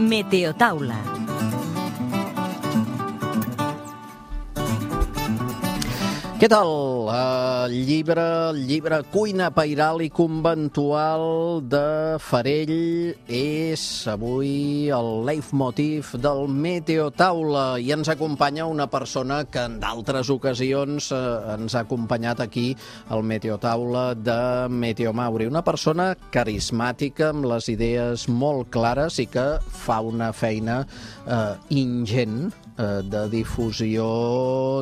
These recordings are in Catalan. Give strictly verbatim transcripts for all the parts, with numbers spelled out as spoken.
Meteotaula. Què tal? El llibre, el llibre Cuina Pairal i Conventual de Farell és avui el leitmotiv del Meteotaula i ens acompanya una persona que en d'altres ocasions eh, ens ha acompanyat aquí al Meteotaula de Meteomauri. Una persona carismàtica amb les idees molt clares i que fa una feina eh, ingent de difusió,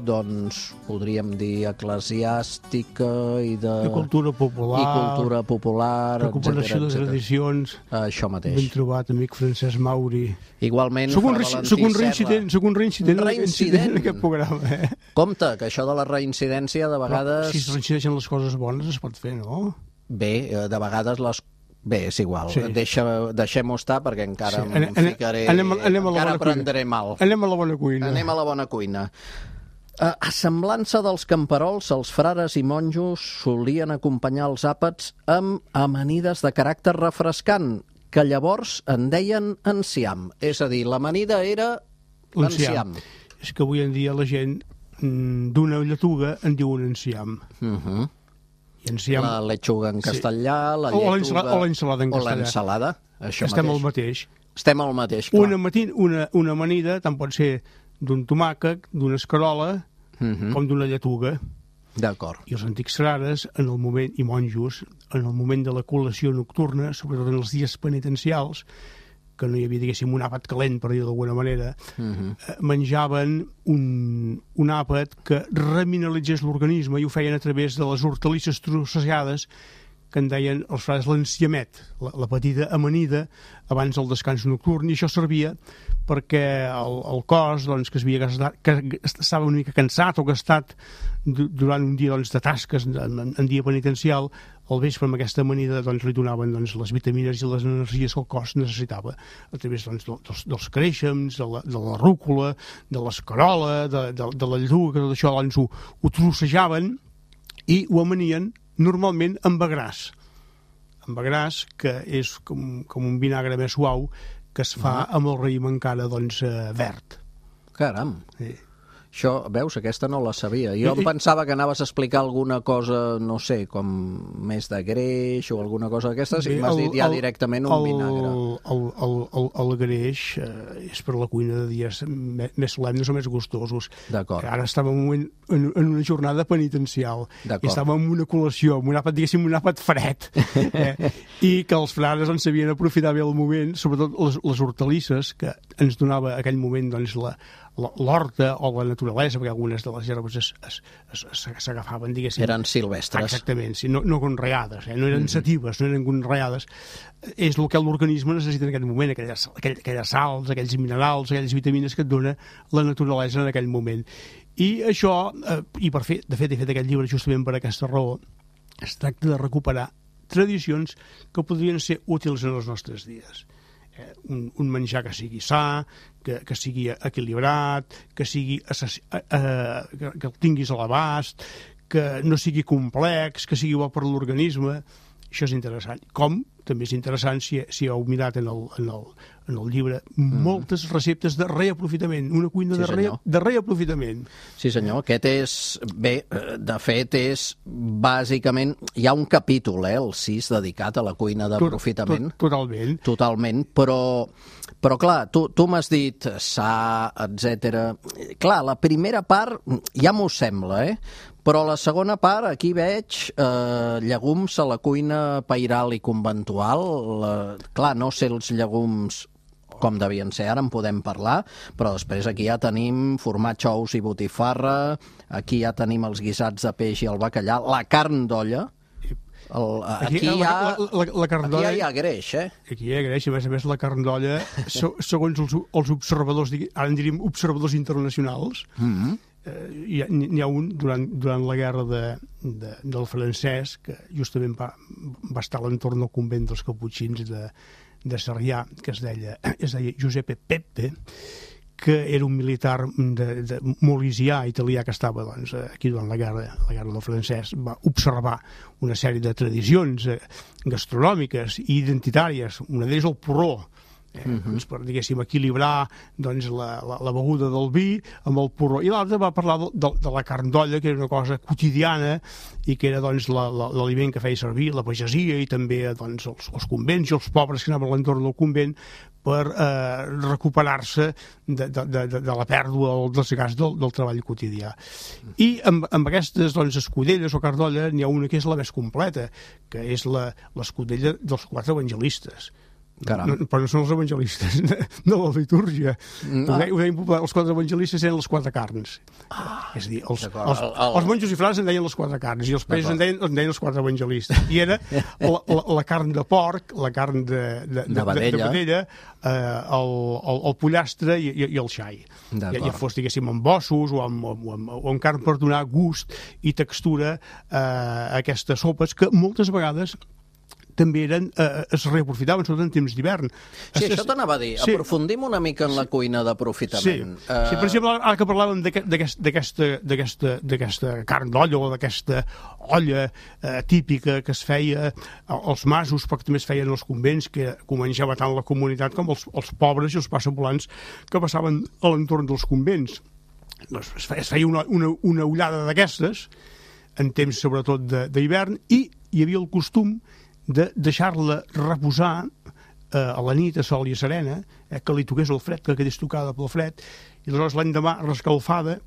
doncs, podríem dir, eclesiàstica i de... de cultura popular, i cultura popular, recuperació de tradicions. Això mateix. Ben trobat, amic Francesc Mauri. Igualment, soc un, Fra Valentí soc un reincident, soc un reincident, un reincident en aquest programa. Eh? Compte, que això de la reincidència de vegades... Però, si es reincideixen les coses bones es pot fer, no? Bé, de vegades les Bé, és igual, sí. Deixa, deixem-ho estar perquè encara sí. em anem, ficaré, anem, anem encara prendré mal. Anem a la bona cuina. Anem a la bona cuina. A, a semblança dels camperols, els frares i monjos solien acompanyar els àpats amb amanides de caràcter refrescant, que llavors en deien enciam. És a dir, l'amanida era l'enciam. És que avui en dia la gent d'una lletuga en diu un enciam. Uh -huh. Enciam... La lechuga en castellà, la o lletuga... O l'ensalada en castellà. O l'ensalada, això Estem mateix. al mateix. Estem al mateix, clar. Una, matin, una, una amanida tant pot ser d'un tomàquet, d'una escarola, uh -huh. com d'una lletuga. D'acord. I els antics frares, en el moment, i monjos, en el moment de la col·lació nocturna, sobretot en els dies penitencials, que no hi havia, diguéssim, un àpat calent, per dir-ho d'alguna manera, uh -huh. menjaven un, un àpat que remineralitzés l'organisme i ho feien a través de les hortalisses trossejades que en deien els frares l'enciamet, la, la petita amanida abans del descans nocturn, i això servia perquè el, el cos, doncs, que, es havia gastat, que estava una mica cansat o gastat durant un dia, doncs, de tasques en, en dia penitencial, al vespre amb aquesta amanida, doncs, li donaven, doncs, les vitamines i les energies que el cos necessitava a través, doncs, dels, dels creixems, de la, de la rúcula, de l'escarola, de, de, de la lletuga, que tot això, doncs, ho, ho trossejaven i ho amanien normalment amb agràs. Amb agràs, que és com, com un vinagre més suau, que es fa amb el raïm encara, doncs, eh, verd. Caram! Sí. Això, veus, aquesta no la sabia. Jo em pensava que anaves a explicar alguna cosa, no sé, com més de greix o alguna cosa d'aquestes, i m'has dit ja el, directament un el, vinagre. El, el, el, el greix eh, és per la cuina de dies més solemnes o més gustosos. D'acord. Ara estàvem en, en, en una jornada penitencial i estàvem en una col·lació, en un àpat, diguéssim, un àpat fred, eh? I que els frares en sabien aprofitar bé el moment, sobretot les, les hortalisses que ens donava aquell moment, doncs, la l'horta o la naturalesa, perquè algunes de les herbes s'agafaven, diguéssim... Eren silvestres. Exactament, sí, no, no conreades, eh? No eren mm-hmm. satives, no eren conreades. És el que l'organisme necessita en aquest moment, aquelles, aquelles sals, aquells minerals, aquelles vitamines que et dona la naturalesa en aquell moment. I això, eh, i per fer, de fet, he fet aquest llibre justament per aquesta raó, es tracta de recuperar tradicions que podrien ser útils en els nostres dies. Eh, un, un menjar que sigui sa, que, que sigui equilibrat, que sigui assaci, eh, eh, que, que el tinguis a l'abast, que no sigui complex, que sigui bo per l'organisme. Això és interessant. Com també és interessant, si, si heu mirat en el, en el, en el llibre, mm. moltes receptes de reaprofitament, una cuina sí, de, re, de reaprofitament. Sí, senyor. Aquest és, bé, de fet, és bàsicament, hi ha un capítol, eh, el sis, dedicat a la cuina d'aprofitament. Tot, tot, totalment. Totalment, però, però clar, tu, tu m'has dit sa, etcètera. Clar, la primera part ja m'ho sembla, eh? Però la segona part, aquí veig eh, llegums a la cuina pairal i conventual. La, clar, no sé els llegums com devien ser, ara en podem parlar, però després aquí ja tenim formatge, ous i botifarra, aquí ja tenim els guisats de peix i el bacallà, la carn d'olla. El, aquí, aquí, hi ha, la, la, la carn aquí ja hi ha greix, eh? Aquí hi ha greix, a més a més la carn d'olla, segons els, els observadors, ara en diríem observadors internacionals, mm-hmm. eh, n'hi ha un durant, durant la guerra de, de, del francès, que justament va, va estar a l'entorn del convent dels caputxins de, de Sarrià, que es deia, es deia Giuseppe Peppe, que era un militar de, de molisià italià que estava doncs, aquí durant la guerra, la guerra del francès, va observar una sèrie de tradicions eh, gastronòmiques i identitàries. Una d'elles el porró. Eh, uh-huh. doncs per, diguéssim, equilibrar doncs, la, la, la beguda del vi amb el porró. I l'altre va parlar de, de, de la carn d'olla, que era una cosa quotidiana i que era doncs, l'aliment que feia servir la pagesia i també doncs, els, els convents i els pobres que anaven a l'entorn del convent per eh, recuperar-se de, de, de, de la pèrdua o del desgast del, del treball quotidià. I amb, amb aquestes doncs, escudelles o carn d'olla n'hi ha una que és la més completa, que és l'escudella dels quatre evangelistes. No, però no són els evangelistes de, de la litúrgia. No. Ho deien, ho deien popular, els quatre evangelistes eren les quatre carns. Ah, és a dir, els, els, els monjos i frares en deien les quatre carns i els països en deien, en deien els quatre evangelistes. I era la, la, la carn de porc, la carn de, de, de, de vedella, de vedella eh, el, el, el pollastre i, i, i el xai. Ja, ja fos, diguéssim, amb ossos o amb, o, amb, o amb carn per donar gust i textura eh, a aquestes sopes que moltes vegades també eren, eh, es reaprofitaven, sobretot en temps d'hivern. Sí, es, això t'anava a dir. Sí. Aprofundim una mica en la cuina d'aprofitament. Sí. Uh... sí, per exemple, ara que parlàvem d'aquesta carn d'olla o d'aquesta olla eh, típica que es feia als masos, però que també es feien als convents, que menjava tant la comunitat com els, els pobres i els passavolants que passaven a l'entorn dels convents. Doncs es feia, es feia una, una, una ullada d'aquestes, en temps sobretot d'hivern, i hi havia el costum de deixar-la reposar eh, a la nit a sol i a serena, eh, que li toqués el fred, que quedés tocada pel fred, i aleshores l'endemà rescalfada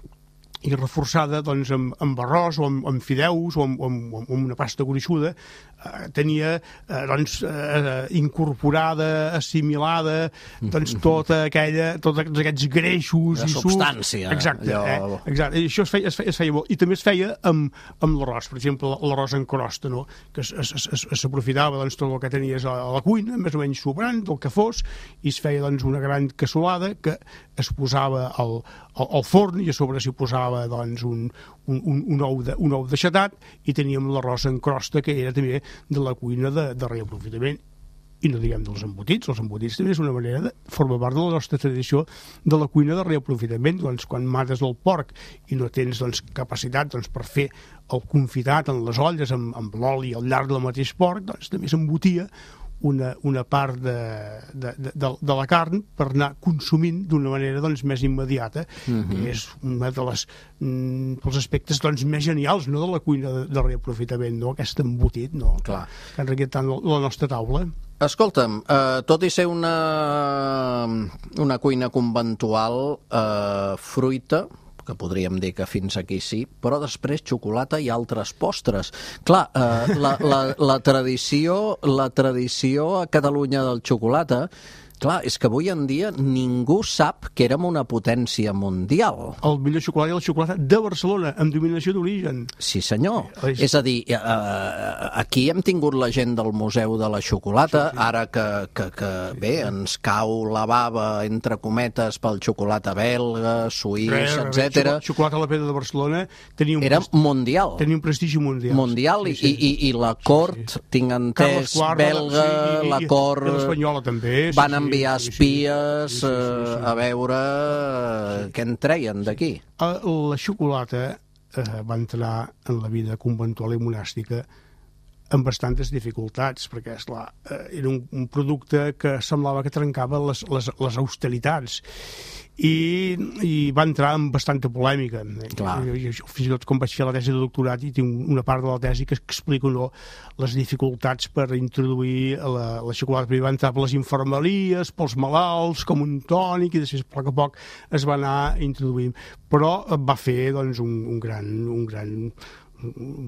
i reforçada doncs, amb, amb arròs o amb, amb fideus o amb, amb, amb una pasta gruixuda, eh, tenia eh, doncs, eh, incorporada, assimilada doncs, tota aquella, tots aquests greixos la i substància. Sucs. Exacte, eh? Exacte. I això es feia, es feia, es feia molt. I també es feia amb, amb l'arròs, per exemple, l'arròs en crosta, no? Que s'aprofitava doncs, tot el que tenies a la cuina, més o menys sobrant, del que fos, i es feia doncs, una gran cassolada que es posava al, al, al forn i a sobre s'hi posava doncs, un, un, un, ou de, un ou deixatat i teníem l'arròs en crosta, que era també de la cuina de, de reaprofitament. I no diguem dels embotits, els embotits també és una manera de formar part de la nostra tradició de la cuina de reaprofitament. Doncs, quan mates el porc i no tens doncs, capacitat doncs, per fer el confitat en les olles amb, amb l'oli al llarg del mateix porc, doncs també s'embotia una, una part de, de, de, de la carn per anar consumint d'una manera doncs, més immediata. Uh-huh. Que és un dels mm, aspectes doncs, més genials, no, de la cuina de, de reaprofitament, no? Aquest embotit, no? Clar. Que ha enriquit tant la nostra taula. Escolta'm, eh, tot i ser una, una cuina conventual, eh, fruita, que podríem dir que fins aquí sí, però després xocolata i altres postres. Clar, eh, la, la, la, tradició, la tradició a Catalunya del xocolata, clar, és que avui en dia ningú sap que érem una potència mundial. El millor xocolata és la xocolata de Barcelona, amb dominació d'origen. Sí, senyor. És, és a dir, eh, aquí hem tingut la gent del Museu de la Xocolata, sí, sí. Ara que, que, que sí, bé, sí. ens cau la bava, entre cometes, pel xocolata belga, suís, etcètera. Xocolata a la Pedra de Barcelona tenia un, era mundial. Tenia un prestigi mundial. Mundial, sí, sí. I, i, i la cort, sí, sí. tinc entès, belga, sí, i, la cort... I l'espanyola també. Sí, van enviar espies sí, sí, sí, sí, sí. a veure sí. què en treien d'aquí. La xocolata eh, va entrar en la vida conventual i monàstica amb bastantes dificultats, perquè esclar, eh, era un, un producte que semblava que trencava les, les, les austeritats i, i va entrar en bastanta polèmica. Clar. Jo, jo, fins i tot com vaig fer la tesi de doctorat i tinc una part de la tesi que explica no, les dificultats per introduir la, la xocolata. Primer va entrar per les infermeries, pels malalts, com un tònic, i després a poc a poc es va anar introduint. Però va fer doncs, un, un gran... Un gran un,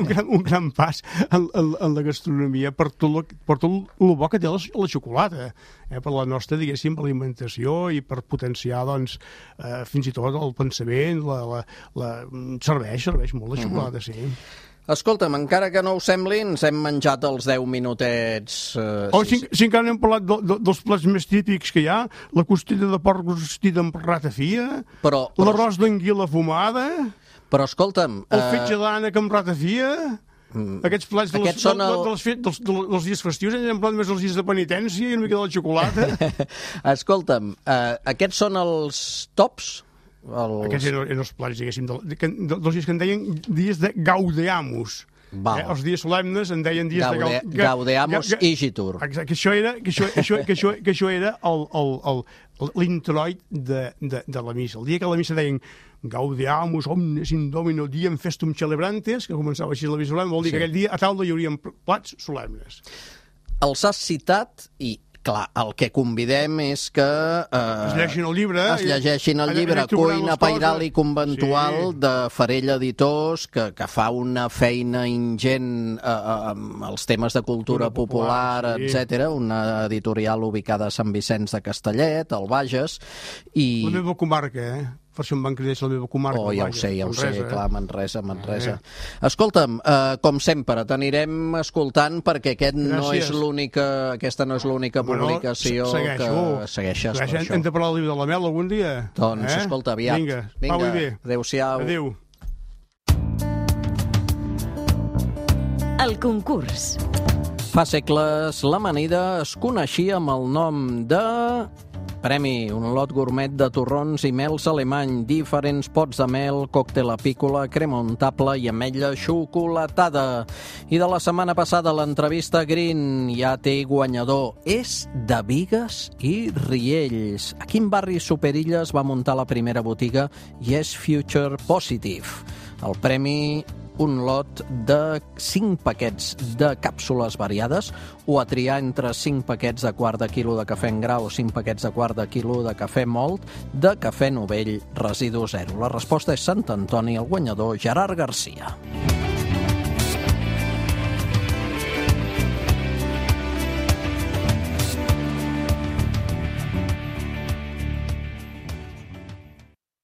gran, un gran pas en, en, en la gastronomia per tot, lo, per tot el bo que té la, la xocolata, eh, per la nostra, diguéssim, alimentació i per potenciar, doncs, eh, fins i tot el pensament, la, la, la... serveix, serveix molt la xocolata, uh-huh. sí. Escolta'm, encara que no ho sembli, ens hem menjat els deu minutets... Eh, oh, si, si encara no hem parlat de, de, dels plats més típics que hi ha, la costella de porc rostida amb ratafia, però, però... l'arròs d'anguila fumada... Però escolta'm... El fetge d'ànec amb ratafia... Mm. Aquests plats de les, de, el... de, de les, dels, de, dels dies festius, ens hem plat més els dies de penitència i una mica de la xocolata. Escolta'm, uh, aquests són els tops? Els... Aquests eren, eren els plats, diguéssim, de, de, de, dels dies que en deien dies de gaudeamus. Eh, els dies solemnes en deien dies Gaude, de... Ga, Gaudeamus Igitur. Exacte, que això era, que això, això, que això, que això era el, el, el, l'introit de, de, de la missa. El dia que la missa deien Gaudeamus omnes in domino diem festum celebrantes, que començava així la missa solemne, vol dir sí. que aquell dia a taula hi haurien plats solemnes. Els has citat i clar, el que convidem és que eh, es llegeixin el llibre, es llegeixin el llibre Cuina Pairal i Conventual sí. de Farell Editors, que, que fa una feina ingent eh, amb els temes de cultura popular, popular sí. etcètera. Una editorial ubicada a Sant Vicenç de Castellet, al Bages. I... La meva comarca, eh? Per això em van cridar la meva comarca. Oh, ja ho sé, ja ho sé, eh? clar, Manresa, Manresa. Eh. Escolta'm, eh, com sempre, t'anirem escoltant perquè aquest no és l'única, aquesta no és l'única publicació bueno, que segueixes. Segueixes. Hem de parlar del llibre de la Mel algun dia? Doncs, eh? escolta, aviat. Vinga, Vinga. Pau i bé. Adéu-siau. Adéu. El concurs. Fa segles, l'Amanida es coneixia amb el nom de... Premi, un lot gourmet de torrons i mels alemany, diferents pots de mel, còctel apícola, crema untable i ametlla xocolatada. I de la setmana passada l'entrevista Green ja té guanyador. És de Bigues i Riells. A quin barri Superilles va muntar la primera botiga i és Future Positive. El premi... un lot de cinc paquets de càpsules variades o a triar entre cinc paquets de quart de quilo de cafè en gra o cinc paquets de quart de quilo de cafè mòlt de cafè novell residu zero. La resposta és Sant Antoni, el guanyador Gerard Garcia.